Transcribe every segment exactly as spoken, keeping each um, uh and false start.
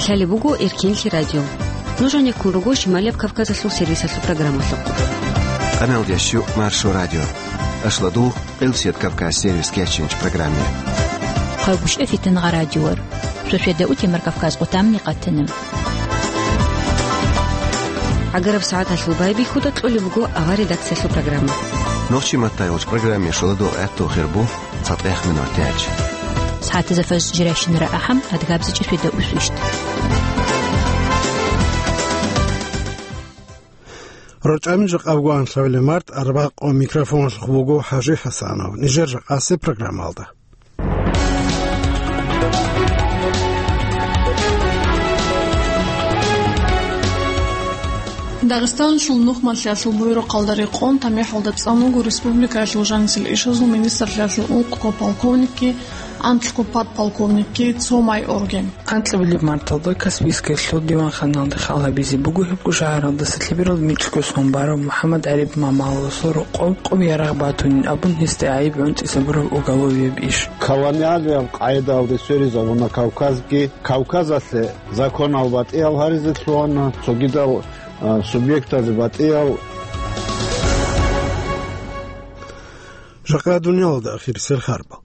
Лъалеб буго Эркинлъи радио. Нуж гьанеккун руго Шималияб Кавказалъул сервисалъул программалъухъ. Къаналдеш Маршо радио. Ашладул Къилсият Кавказ сервис кечинч программе. Хъалгушев Фитнагъа радиор. Шошеда утемар Кавказ къутамни къатана. Агараб сагӀаталъул байбихьуда кьолеб буго авар редакциялъул программа. Нохчи маттайгъуч программе шуладул гӀатту хирбу. ЦатӀех минутач. СагӀатазда фажр жирайщинара ахӀам, адгабзичӀеб шуйда усвищ. РачӀами жакъаб гуанлъавиле март арбакъо микрофоналъухъ буго ХӀажи ХӀасанов. Нижер жакъасе программалда. Дагъистаналъул нухмалъиялъул буюрухъалда рекъон тамихӀалда цӀан вуго республикаялъул жанисел ишазул министрлъиялъул ункъго полковникги, анкьго подполковникги, цо майорги. Анкьабилеб марталда Каспийскиялъул диванханалде хал гьабизе буго гьебго шагьаралдаса лъеберал микьго сон барав МухӀаммад ГӀариб Мамаласул рокъов къоб-къоб ярагъ батунин абун, гьесда гӀайиб гӀунтӀизе гьабураб уголовияб иш. Колониалияб къагӀидаялде сверизабуна Кавказги, Кавказалъе законал батӀиял гьаризе лъугьана, цогидал, а, субъектазе батӀиял. Жакъа дуниялалда ахирисел харбал.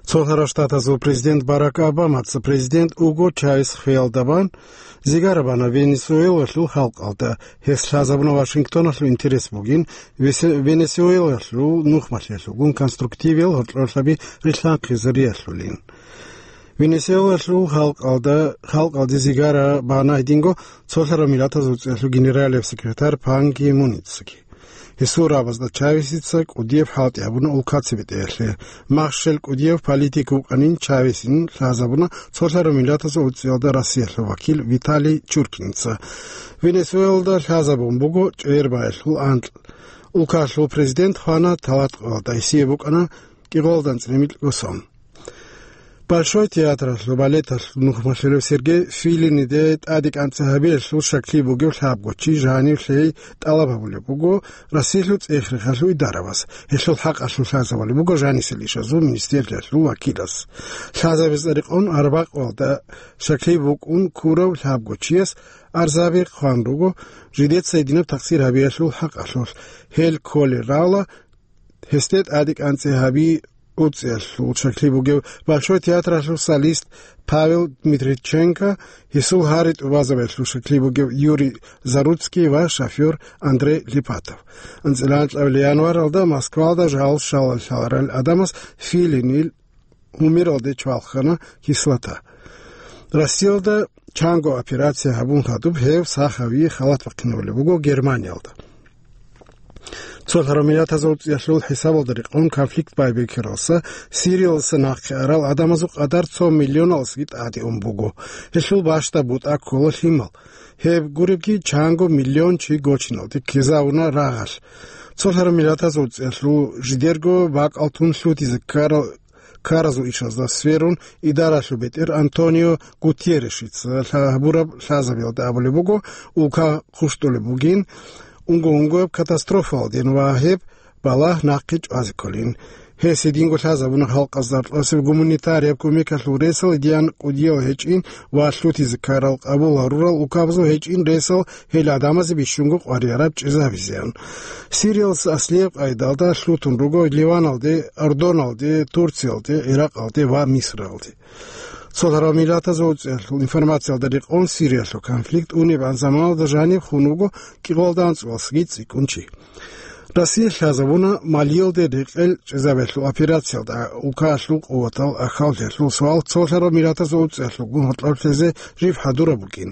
Цолъарав Штатазул президент Барак Обамаца президент Уго Чавес хвеялда бан зигара бана Венесуэлалъул халкъалда. Гьес лъазабуна Вашингтоналъул интерес бугин Весе-, Венесуэлалъул нухмалъиялъулгун конструктивиял гьоркьорлъаби рилълъанхъизариялъулин. Венесуэлалъул халкъалда, халкъалде зигара бана гьединго Цолъарав Миллатазул ЦӀиялъул генералияб секретарь Пан Ги Муницаги. Гьесул рабазда Чавесица кӀудияб хӀалтӀи гьабуна улкаца бетӀеялъе. Махщел кӀудияб политик вукӀанин Чавесин лъазабуна Цолъарав Миллатазул ЦӀиялда Россиялъул вакил Виталий Чуркинца. Венесуэлалда лъазабун буго чӀегӀербаялъул анкь. Улкалъул президент хвана талатӀкъоялда, гьесие букӀана кӀикъоялда анцӀила микьго сон. Большой театралъул балеталъул нухмалъулев Сергей Филиниде тӀаде кӀанцӀи гьабиялъул щаклъи бугев лъабго чи жанив лъей тӀалаб гьабулеб буго Россиялъул цӀех-рехалъул идарабаз. Гьелъул хӀакъалъулъ лъазабулеб буго жанисел ишазул министрлъиялъул вакилас. Лъазабизе рекъон арбакъоялда щаклъи букӀун ккурав лъабго чияс арзаби хъван руго, жидеца гьединаб такъсир гьабиялъул хӀакъалъулъ. Гьел кколел равла гьесде тӀаде кӀанцӀи гьаби уцӀиялъул щаклъи бугев Большой театралъул солист Павел Дмитриченко, гьесул гьари тӀубазабиялъул щаклъи бугев Юрий Заруцкий ва шофёр Андрей Липатов. АнцӀила анкьабилеб январалда Москвалда жал щалал лъаларел гӀадамаз Филинил гьумералде чвалхана кислота. Россиялда чанго операция гьабун хадуб гьев сахави халат бахъинабулеб буго Германиялда. Цолъарав Миллатазул ЦӀиялъул хӀисабалда рекъон конфликт байбихьаралса Сириялдаса нахъе арал гӀадамазул къадар цо миллионалдасаги тӀаде ун буго. Гьелъул бащдаб бутӀа ккола лъимал. Гьеб гуребги чанго миллион чи гочиналде ккезавуна рагъалъ. Цолъарав Миллатазул ЦӀиялъул жидерго бакӀал тун лъутизе ккарал ккаразул ишазда сверун, идаралъул бетӀер Антонио Гутьерресица лъа-, гьабураб лъазабиялда абулеб буго, улка хъущтӀулеб бугин, унго-унгояб катастрофаялдин ва гьеб балагь нахъе чӀвазе кколин. Гьес гьединго лъазабуна халкъазда аркьасеб гуманитарияб кумекалъул ресал идеян кӀудиял гьечӀин ва лъутизе ккарал къабул гьарурал улкабазул гьечӀин ресал гьел гӀадамазе бищунго къваригӀараб чӀезабизеян. Сириялдаса аслияб къайдалда лъутун руго Ливаналде, Ордоналде, Турциялде, Иракъалде ва Мисралде. Цолъарав Миллатазул ЦӀиялъул информациялда рекъон Сириялъул конфликт унебгӀан заманалда жаниб хун вуго кӀикъоялда анцӀгоялдасаги цӀикӀкӀун чи. Россия лъазабуна Малиялде рекъел чӀезабиялъул операциялда улкаялъул къуватал ахӀулелъул суал Цолъарав Миллатазул ЦӀиялъулгун гьоркьоб лъезе жиб хӀадураб букӀин.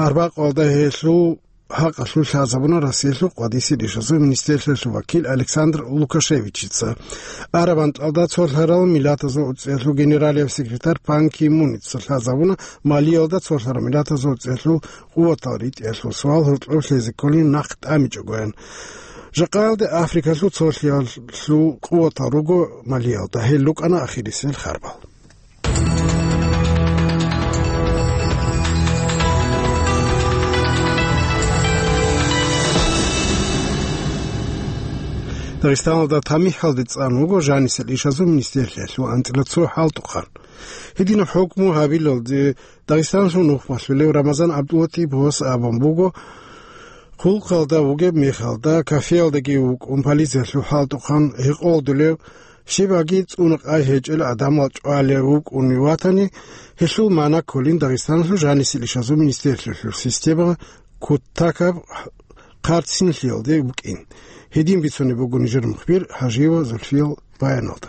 Арбакъоялда гьелъул хӀакъалъулъ лъазабуна Россиялъул къватӀисел ишазул министрлъиялъул вакил Александр Лукашевичица. Араб анкьалда Цолъарав Миллатазул ЦӀиялъул генералияб секретарь Пан Ги Муница лъазабуна Малиялда Цолъарав Миллатазул ЦӀиялъул къуватал ритӀиялъул суал гьоркьоб лъезе кколин нахъ тӀамичӀогоян. Жакъаялде Африкалъул цолъиялъул къуватал руго Малиялда, гьел рукӀана ахирисел харбал. Дагъистаналда тамихӀалде цӀан вуго жанисел ишазул министрлъиялъул анцӀила цо хӀалтӀухъан. Гьединаб хӀукму гьабилалде Дагъистаналъул нухмалъулев Рамазан ГӀабдуллатӀиповас абун буго, хъулухъалда вугеб мехалда кафеялдаги вукӀун полициялъул хӀалтӀухъан гьекъолдулев, щибаги цӀуна-къай гьечӀел гӀадамал чӀвалев вукӀун ватани, гьелъул магӀна кколин Дагъистаналъул жанисел ишазул министрлъиялъул система кутакаб хъарцинлъиялде букӀин. Гьедин бицунеб буго нижер мухбир ХӀажиева Зульфиял баяналда.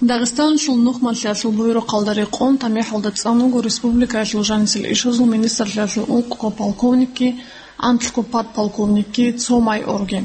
Дагъистаналъул нухмалъиялъул буюрухъалда рекъон тамихӀалда цӀан вуго республикаялъул жанисел ишазул министрлъиялъул ункъго полковникги, анлъго подполковникги, цо майорги.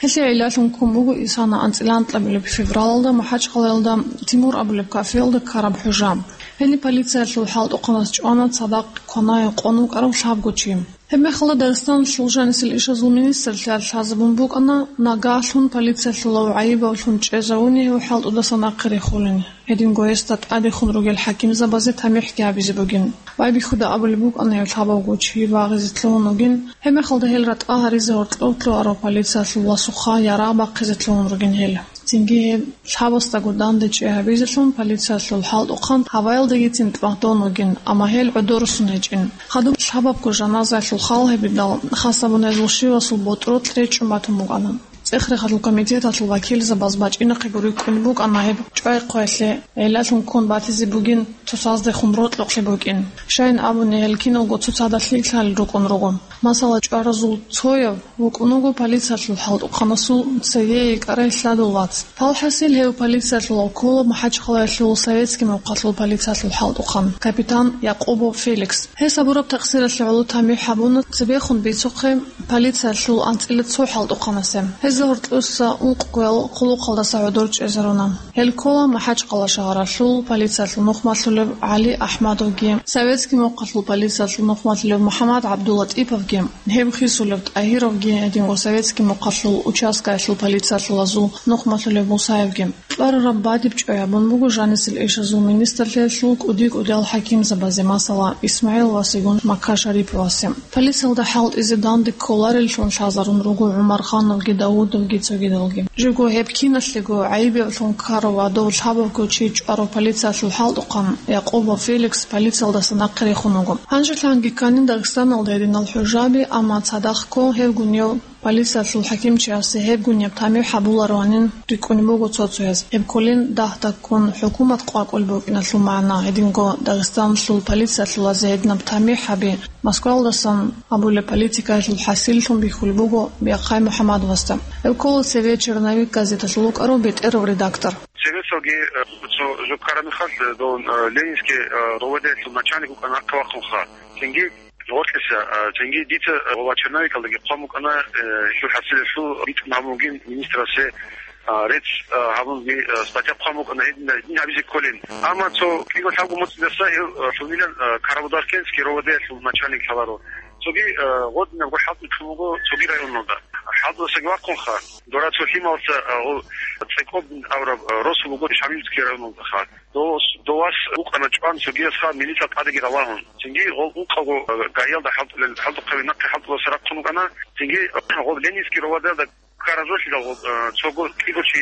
Гьелъие гӀиллалъун ккун буго исана анцӀила анкьабилеб февралалда МахӀачхъалаялда Тимур абулеб кафеялда ккараб хӀужа. Гьениб полициялъул хӀалтӀухъанас чӀвана цадахъ кванае къон вукӀарав лъабго чи. Гьебмехалда Дагъистаналъул жанисел ишазул министрлъиялъ лъазабун букӀана, нагагьлъун полициялъулав гӀайибавлъун чӀезавуни гьев хӀалтӀудаса нахъе рехулин. Гьединго гьесда тӀадехун ругел хӀакимзабазе тамихӀги гьабизе бугин. Байбихьуда абулеб букӀана гьев лъабавго чи багъизе лъугьун вугин, гьебмехалда гьел ратӀа гьаризе гьоркьов лъугьарав полициялъул ласухъа ярагъ бахъизе лъугьун ругин гьел. Цинги гьеб лъабасдаго дандечӀей гьабизелъун полициялъул хӀалтӀухъан гьаваялдегицин тӀматӀун вугин, амма гьел гӀодорусун гьечӀин. Хадуб лъабабго жаназаялъул хал гьабидал, хасабун гьезул щивасул ботӀролъ речӀчӀун батун букӀана. ЦӀех-рехалъул комитеталъул вакилзабаз бачӀинахъего рикӀкӀун букӀана гьеб чӀвай-хъваялъе гӀиллалъун ккун батизе бугин цоцаздехун рокьукълъи букӀин. Щайин абуни, гьел киналго цоцазда лъикӀлъи рукӀун руго. Масала, чӀваразул цояв вукӀун вуго полициялъул хӀалтӀухъанасул цеве йикӀарай лъадул вац. Палхасил гьев полициялъул ккола МахӀачхъалаялъул Советский мухъалъул полициялъул хӀалтӀухъан, капитан Якъубов Феликс. Гьес гьабураб такъсиралъе гӀоло тамихӀ гьабуна цебехун бицухъе полициялъул анцӀила цо хӀалтӀухъанасе. Гьезда гьоркьоса ункъгоял хъулухъалдаса гӀодор чӀезаруна. Гьел ккола МахӀачхъала шагьаралъул полициялъул нухмалъулев ГӀали Ахмадовги, Советский мухъалъул полициялъул нухмалъулев МухӀаммад ГӀабдуллатӀиповги, гьев хисулев ТӀагьировги, гьединго Советский мухъалъул участкаялъул полициялъулазул нухмалъулев Мусаевги. Кьварараб бадиб чӀвай гьабун буго жанисел ишазул министрлъиялъул кӀуди-кӀудиял хӀакимзабазе, масала, ИсмагӀил васигун Макка Шариповасе. Полициялда хӀалтӀизе данде кколареллъун лъазарун руго ГӀумархановги, Давудовги, цогидалги. Живго гьеб киналъего гӀайибавлъун ккарав ва дов лъабавго чи чӀварав полициялъул хӀалтӀухъан Якъубов Феликс полициялдаса нахъе рехун вуго. Гьанжелъанги кканин Дагъистаналда гьединал хӀужаби, амма цадахъго гьевгунев полициялъул хӀакимчиясе гьебгунеб тамихӀ гьабулароанин рикӀкӀунеб буго цо-цояз. Гьеб кколин дагь-дагьккун хӀукумат къвакӀулеб букӀиналъул магӀна, гьединго Дагъистаналъул полициялъулазе гьединаб тамихӀаби Москвалдасан абулеб политикаялъул хӀасиллъун бихьулеб буго Бяхъай МухӀаммадовасда. Гьев ккола цеве «Черновик» газеталъул вукӀарав бетӀерав редактор. Цевесалги, э, цо жо ккараб мехалъ, э, дов, э, Ленинский, э, РОВД-ялъул начальник вукӀана нахъе вахъунха. Цинги гъоркьиса, а, цинги дица, а, ва черновикалдаги хъван букӀана, э, гьелъул хӀасилалъул битӀун гьабун бугин министрасе, а, рецц, а, гьабун би, а, статья хъван букӀана гьединда, гьедин гьабизе кколин. Амма цо кӀиго-лъабго моцӀидаса гьев, а, лъугьунилан, а, Карабудахкентский РОВД-ялъул начальник лъаларо. Цоги, а, гъодинабго хӀалтӀи лъун буго цоги районалда. ХӀалтӀудасаги вахъунха, дора цо лъималса, а, гъо-, ЦӀекӀоб абураб, а, росу буго Шамилский районалдаха. Дос-, довас вукӀана чӀван цогиясха милица тӀадеги ралагьун. Цинги гъол ункъавго, э, ГАИялда хӀалтӀулел, хӀалтӀухъаби нахъе хӀалтӀуласа рахъун вукӀана. Цинги гъол Ленинский РОВД-ялда ккаразулъидал гъол, э, цого кӀиго чи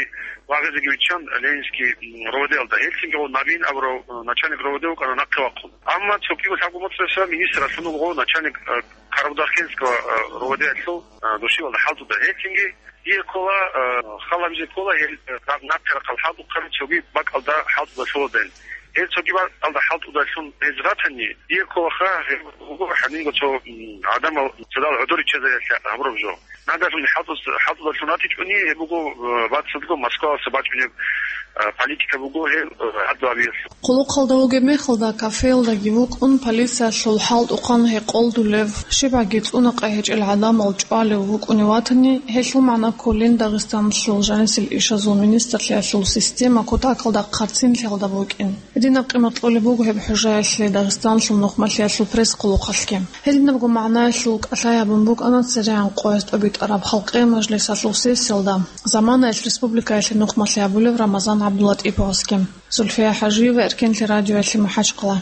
вагъизеги виччан Ленинский, м, РОВД-ялда. Гьел цинги гъол Набиин абурав, э, начальник РОВД вукӀана нахъе вахъун. Амма цо кӀиго-лъабго моцӀаса министр лъун вуго начальник, э, Карабудахкентского, э, РОВД-ялъул, э, душивалда хӀалтӀуда. Гьел цинги Дие ккола, э, хал гьабизе ккола гьел, э, рагъ-, нахъе рахъал хӀалтӀухъаби цоги бакӀалда хӀалтӀуда лъолодайин. Гьел цоги бакӀалда хӀалтӀудалъун гьез ратани, дие кколаха, гьеб буго гьанинго цо, м, гӀадамал цадал гӀодор риччазариялъе гьабураб жо. Нагагьлъун хӀалтӀус-, хӀалтӀудалъун ратичӀони, гьеб буго, э, бацӀцӀадго Москваласа бачӀунеб, э, политика буго гьеб, э, гӀадлу гьабиялъул. Хъулухъалда вугеб мехалда кафеялдаги вукӀун, полициялъул хӀалтӀухъан гьекъолдулев, щибаги цӀуна-къай гьечӀел гӀадамал чӀвалев вукӀунев ватани, гьелъул магӀна кколин Дагъистаналъул жанисел ишазул министрлъиялъул система кутакалда хъарцинлъиялда букӀин. Гьединаб къимат кьолеб буго гьеб хӀужаялъе Дагъистаналъул нухмалъиялъул пресс-хъулухъалъги. Гьединабго магӀнаялъул кӀалъай гьабун букӀана церегӀан къоялъ тӀобитӀараб халкъиял мажлисалъул сессиялда заманаялъ республикаялъе нухмалъи гьабулев Рамазан ГӀабдуллатӀиповасги. Зульфия ХӀажиева, Эркенлъи радиоялъе, МахӀачхъала.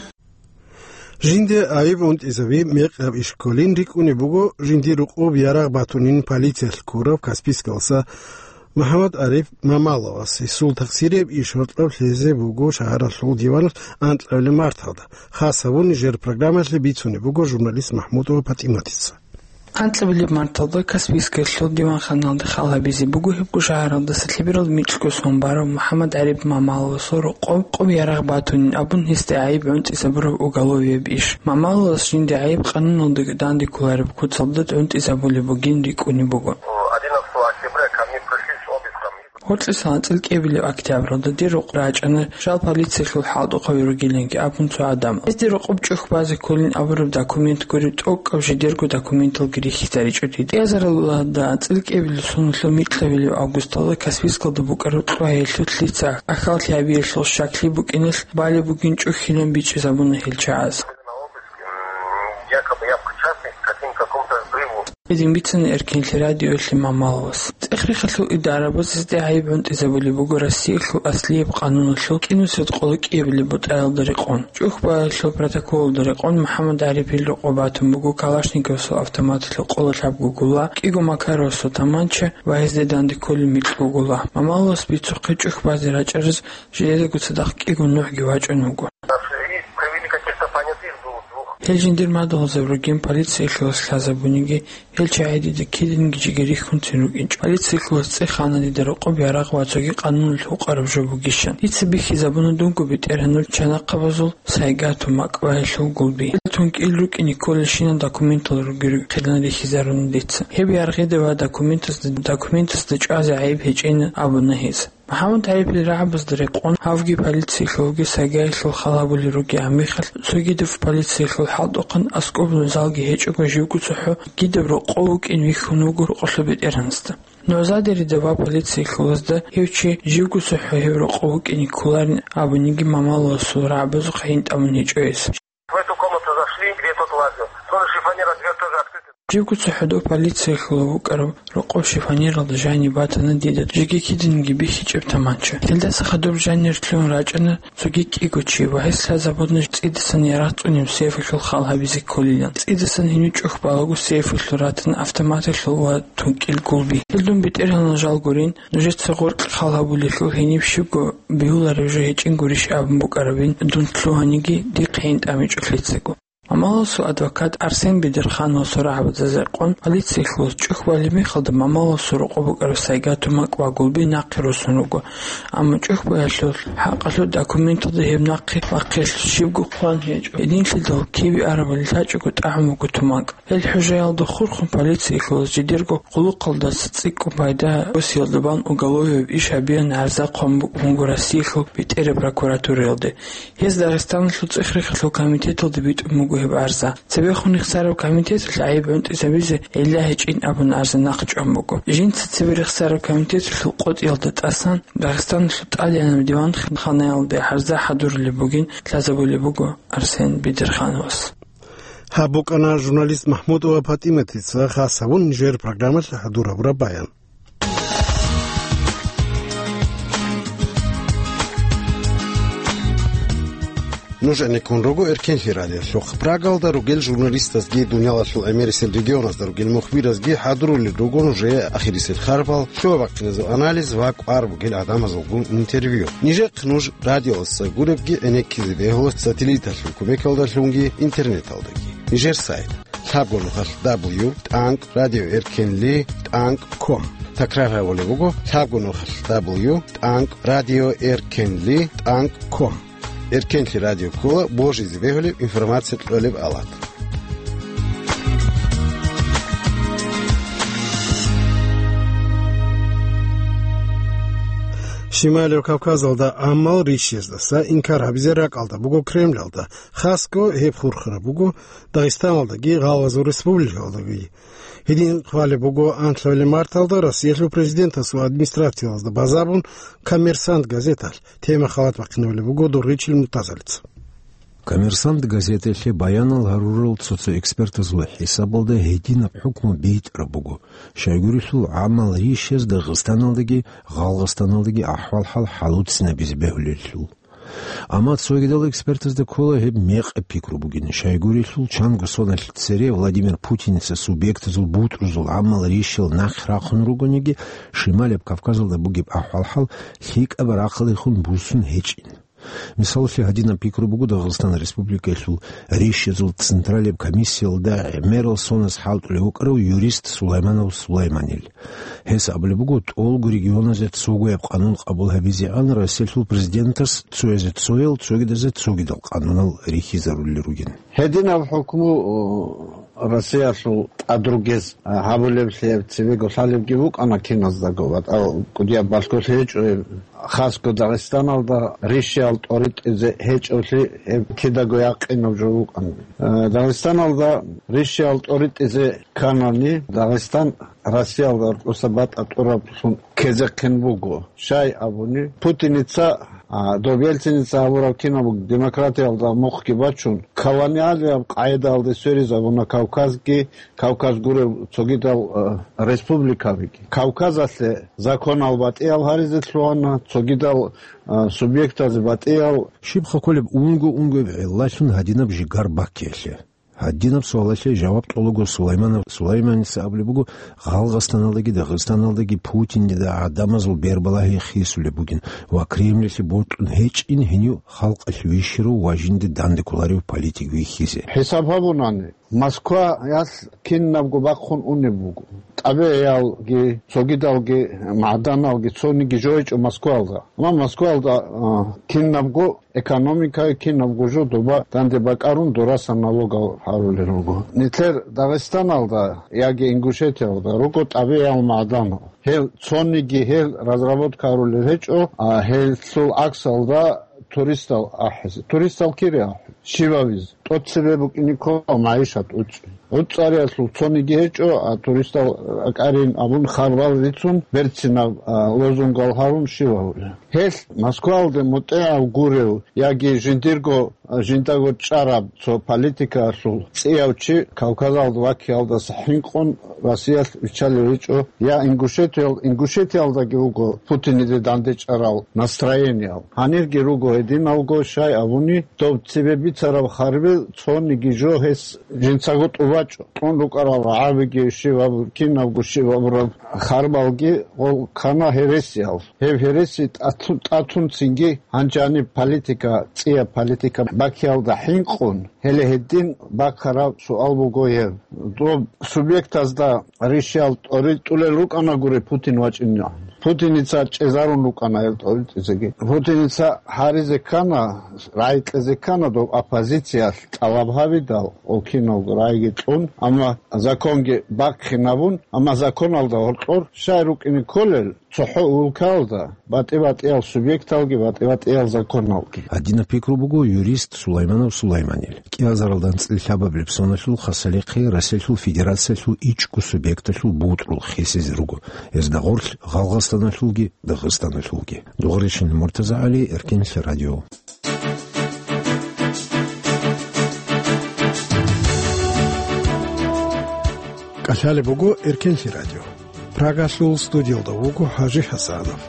Жинде гӀайиб унтӀизаби мекъаб иш кколин рикӀкӀунеб буго жиндир рукъоб ярагъ батунин полициялъ ккураб Каспийскаласа МухӀаммад Ариф Мамаловас гьесул тахсирияб иш гьоркьоб лъезе буго шагьаралъул диваналъ анкьабилеб марталда. Хасабун нижер программалъе бицунеб буго журналист МахӀмудова ПатӀиматица. Анкьабилеб марталда Каспийскалъул диванханалде хал гьабизе буго гьебго шагьаралдаса лъеберал микьго сон барав МухӀаммад Ариф Мамаловасул рокъоб къоб ярагъ батунин абун гьесде гӀайиб гӀунтӀизабураб уголовияб иш. Мамаловас жинде гӀайиб къануналдаги данде кколареб куцалда гӀунтӀизабулеб бугин рикӀкӀунеб буго. Одиннадцатого октября ко мне пришли с обыском. Гьоркьосан анцӀил кӀиабилеб октябралда дир рокъоб рачӀана, жал полициялъул хӀалтӀухъаби ругиланги абун цо гӀадамал. Гьезде рокъоб чӀухь базе кколин абураб документ гуреб тӀокӀаб жидерго документалги рихьизаричӀо дида. КӀиазаралда анцӀил кӀиабилеб соналъул микьабилеб августалда Каспийскалда букӀараб кьвагьиялъул лъица ахьаллъи гьабиялъул щаклъи букӀиналъ балеб бугин чӀухьилан бичӀчӀизабуна гьел чагӀаз. Якобы я причастный к каким-, какому-то взрыву. Гьедин бицана Эркенлъи радиоялъе Мамаловас. ЦӀех-рехалъул идарабаз гьезде гӀайиб гӀунтӀизабулеб буго Россиялъул аслияб къануналъул кӀинусиялда къоло кӀиабилеб бутӀаялда рекъон. ЧӀухь баялъул протоколалда рекъон МухӀаммад Арифил рокъоб батун буго Калашниковасул автоматалъул къоло лъабго гула, кӀиго Макаровасул таманча ва гьезде данде кколеб микьго гула. Мамаловас бицухъе чӀухь базе рачӀараз жидедаго цадахъ кӀиго нухӀги вачӀун вуго. И провели каких-то понятых двух. Гьел жиндир мадугьалзаб ругин полициялъулас лъазабуниги, гьел чагӀи дида кидинги жеги рихьунцин рукӀинчӀо. Полициялъулас цӀех ана дида рокъоб ярагъ ва цоги къануналъ гьукъараб жо бугищан. Дица бихьизабуна дунго бетӀергьанул чанахъабазул Сайгату, МакӀ ва гьелъул гулби. Гьел тункӀил рукӀине кколелщинал документал ругел рукӀин рихьизаруна дица. Гьеб яргъида ва документазда, документазда чӀвазе гӀайиб гьечӀин абуна гьез. МухӀаммад Арифил рагӀабазда рекъон гьавги полициялъулги Сайгаялъул хал гьабулел ругеб мехалъ, цогидаб полициялъул хӀалтӀухъан аскӀоб нугӀзалги гьечӀого живго цохӀо кидаб рокъов вукӀин вихьун вуго рокъолъул бетӀергьанасда. НугӀзадерида ва полициялъулазда гьев чи живго цохӀо гьев рокъов вукӀине кколарин абуниги Мамаловасул рагӀабазухъе гьин тӀамун гьечӀо гьес. В эту комнату зашли, где тот лазил. Тоже шифоньер дверь тоже открытый. Живго цохӀо дов полициялъулав вукӀарав рокъов шифоньералда жаниб батана дида жеги кидинги бихьичӀеб таманча. Гьелдаса хадуб жанир лъугӀун рачӀана цоги кӀиго чи ва гьес лъазабуна цӀидасан ярагъ цӀунеб сейфалъул хал гьабизе кколилан. ЦӀидасан гьенив чӀухь балаго сейфалъул ратана автоматалъул ва тункӀил гулби. Гьел дун бетӀергьанал жал гурин, нужеца гъоркь хал гьабулелъул гьениб щибго бегьулареб жо гьечӀин гурищ абун букӀарабин дун лъугьаниги, дихъ гьин тӀамичӀо лъицаго. Мамаловасул адвокат Арсен Бедерхановасул рагӀабазда рекъон полициялъулас чӀухь балеб мехалда Мамаловасул рокъоб букӀараб Сайгату, МакӀ ва гулби нахъе росун руго, амма чӀухь баялъул хӀакъалъулъ документалда гьеб нахъе бахъиялъул щибго хъван гьечӀо. Гьединлъидал кибе арабали лъачӀого тӀагӀун буго тумакӀ. Гьел хӀужаялда хурхун полициялъулас жидерго хъулухъалдаса цӀикӀкӀун пайда босиялда бан уголовияб иш гьабеян гӀарза хъван букӀун буго Россиялъул бетӀераб прокуратураялде. Гьез Дагъистаналъул цӀех-рехалъул комитеталде битӀун буго гьеб гӀарза. Цебехун рехсараб комитеталъ гӀайиб гӀунтӀизабизе гӀилла гьечӀин абун гӀарза нахъчӀван буго. Жинца цебе рехсараб комитеталъул къотӀиялда тӀасан Дагъистаналъул тӀадегӀанаб диванханаялде гӀарза хӀадурулеб бугин лъазабулеб буго Арсен Бедерхановас. Гьаб букӀана журналист МахӀмудова ПатӀиматица хас гьабун нижер программалъ хӀадурабураб баян. Нуж гӀенеккун руго Эркенлъи радиолъухъ. Прагалда ругел журналистазги дунялалъул гӀемерисел регионазда ругел мухбиразги хӀадурулел руго нужее ахирисел харбал, лъугьа-бахъиназул анализ ва кӀвар бугел гӀадамазулгун интервью. Нижехъ нуж радиоялдаса гуребги гӀенеккизе бегьула сателлиталъул кумекалдалъунги интернеталдаги. Нижер сайт: лъабго нухалъ дабл ю тӀанкӀ радио эркенли тӀанкӀ ком. Такрар гьабулеб буго: лъабго нухалъ дабл ю тӀанкӀ радио эркенли тӀанкӀ ком. Эркенлъи радио ккола божизе бегьулеб информация кьолеб алат. Щималев Кавказалда гӀамал рищездаса инкар гьабизе ракӀалда буго Кремлалда, хасго гьеб хурхараб буго Дагъистаналдаги Гъалгъазул Республикалдаги. Гьедин хъвалеб буго анлъабилеб марталда Россиялъул Президентасул администрациялазда базарун «Коммерсант» газеталъ. Тема халат бахъинабулеб буго Доргъичил Муртазалица. «Коммерсант» газеталъе баянал гьарурал цо-цо экспертазул хӀисабалда гьединаб хӀукму битӀараб буго, щайгурелъул гӀамал рищез Дагъистаналдаги Гъалгъастаналдаги ахӀвал-хӀал хӀалуцинабизе бегьулелъул. Амма цогидал экспертазда ккола гьеб мекъаб пикру бугин. Щайгурелъул, чанго соналъ цере Владимир Путиница субъектазул бутӀрузул гӀамал рищал нахъ рахъун ругониги, Шималаб Кавказалда бугеб ахӀвал-хӀал лъикӀаб рахъалдехун буссун гьечӀин. Мисалалъе, гьадинаб пикру буго Дагъистан Республикаялъул рищазул централаб комиссиялда гӀемерал соназ хӀалтӀулев вукӀарав юрист Сулайманов Сулайманил. Гьес абулеб буго, тӀолго регионазе цогояб къанун къабул гьабизегӀан Россиялъул президентас цоязе цоял, цогидазе цогидал къанунал рихьизарулел ругин. Гьединаб хӀукму, о, Россиялъул тӀадругез, а, гьабулеблъи гьеб цебего лъалебги букӀана киназдаго, ва тӀал кӀудияб балъголъи гьечӀо гьеб. Хасго Дагъистаналда рищал тӀоритӀизе гьечӀолъи гьеб кидаго якъинаб жо букӀана. Э, Дагъистаналда рищал тӀоритӀизе кканани, Дагъистан Россиялда рукъуса батӀа тӀураблъун ккезехъин буго. Щай абуни, Путиница, а, доб Ельциница гьабураб кинаб демократиялда мухъги бачун, колониалияб къагӀидаялде сверизабуна Кавказги, Кавказ гурев цогидал, а, республикабиги. Кавказалъе законал батӀиял гьаризе лъугьана, цогидал, а, субъектазе батӀиял. Щибха кколеб унго-унгояб гӀиллалъун гьадинаб жигар баккиялъе? Гьадинаб суалалъе жаваб кьолаго Сулайманов Сулайманица абулеб буго, Гъалгъастаналдаги Дагъистаналдаги Путинида гӀадамазул бербалагьи хисулеб бугин ва Кремльалъе бокьун гьечӀин гьенив халкъалъ вищарав ва жинда данде кколарев политик вихьизе. ХӀисаб гьабунани, Москваялъ кинабго бахъун унеб буго. ТӀабигӀиялги, цогидалги, магӀданалги цониги жо гьечӀо Москваялда. Амма Москваялда, а, кинабго экономикаги, кинабго жо доба данде бакӀарун дураса налогал гьарулел руго. Нилъер Дагъистаналда яги Ингушетиялда руго тӀабигӀиял магӀданал. Гьел цониги гьел разработка гьарулел гьечӀо, а гьелъул гӀаксалда туристал ахӀизе. Туристал кире ахӀи? Щибабиз? ТӀоцебе букӀине ккола магӀишат уцӀцӀи. ГӀуцӀариялъул цониги гьечӀо, а туристал ракӀарин абун харбал рицун, берцинаб, а, лозунгал гьарун щиб гьавулеб? Гьелъ Москваялде мутӀигӀав гурев яги жиндирго, а, жиндаго чӀараб цо политикаялъул цӀияв чи Кавказалда ваккиялдаса хӀинкъун Россиялъ виччалев гьечӀо, я Ингушетиял-, Ингушетиялдаги вуго Путиниде дандечӀарал настроениял. Гьанирги руго гьединавго, щай абуни, доб цебе бицараб харбил цониги жо гьес жинцаго тӀубачӀо. Кьун рукӀарал рагӀабиги щибаб-, кинабго щибабураб харбалги гъол ккана гьересиял. Гьеб гьереси тӀатун-, тӀатун цинги гьанжаниб политика, цӀияб политика баккиялда хӀинкъун, гьеле гьедин баккараб суал буго гьеб. Доб субъектазда рищал тӀоритӀулел рукӀана гури Путин вачӀинегӀан. Путиница чӀезарун рукӀана гьел тӀоритӀизеги. Путиница гьаризе ккана, рагӀи кьезе ккана доб оппозициялъ тӀалаб гьабидал, гъол киналго рагӀиги кьун, амма законги бахъинабун, амма законалда гьоркьор щай рукӀине кколел, цохӀо улкаялда батӀи-батӀиял субъекталги батӀи-батӀиял законалги. Гьадинаб пикру буго юрист Сулайманов Сулайманил. КӀиазаралда анцӀила лъабабилеб соналъул хасалихъе Россиялъул Федерациялъул ичӀго субъекталъул бутӀрул хисизе руго, гьезда гъорлъ Гъалгъастаналъулги Дагъистаналъулги. Дугъришин Муртазагьали, Эркенлъи радио. КӀалъалеб буго Эркенлъи радио. Прагалъул студиялда вуго ХӀажи ХӀасанов.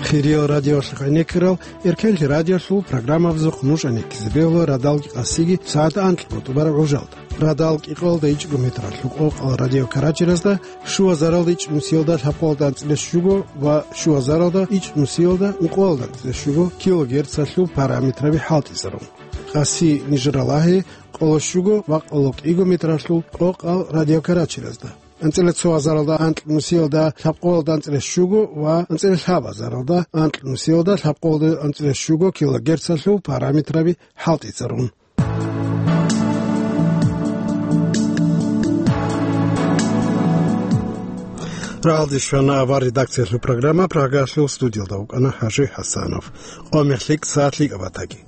Хириял радиоялъухъ гӀенеккарал Эркенлъи радиоялъул программабазухъ нуж гӀенеккизе бегьула радалги къасиги сагӀат анкьго тӀубараб гӀужалда. Радал кӀикъоялда ичӀго метралъул къокъал радиокарачиразда, щуазаралда ичӀнусиялда лъабкъоялда анцӀила щуго ва щуазаралда ичӀнусиялда ункъоялда анцӀила щуго килогерцалъул параметраби хӀалтӀизарун. Къаси нижералагьи къоло щуго ва къоло кӀиго метралъул къокъал радиокарачиразда. АнцӀила цо азаралда анкьнусиялда лъабкъоялда анцӀила щуго ва анцӀила лъаб азаралда анкьнусиялда лъабкъоялда анцӀила щуго килогерцалъул параметраби хӀалтӀицӀарун. Рагьалде щвана авар редакциялъул программа, Прагалъул студиялда вукӀана ХӀажи ХӀасанов. Къо мехлъи сагӀат лъикӀаб батаги.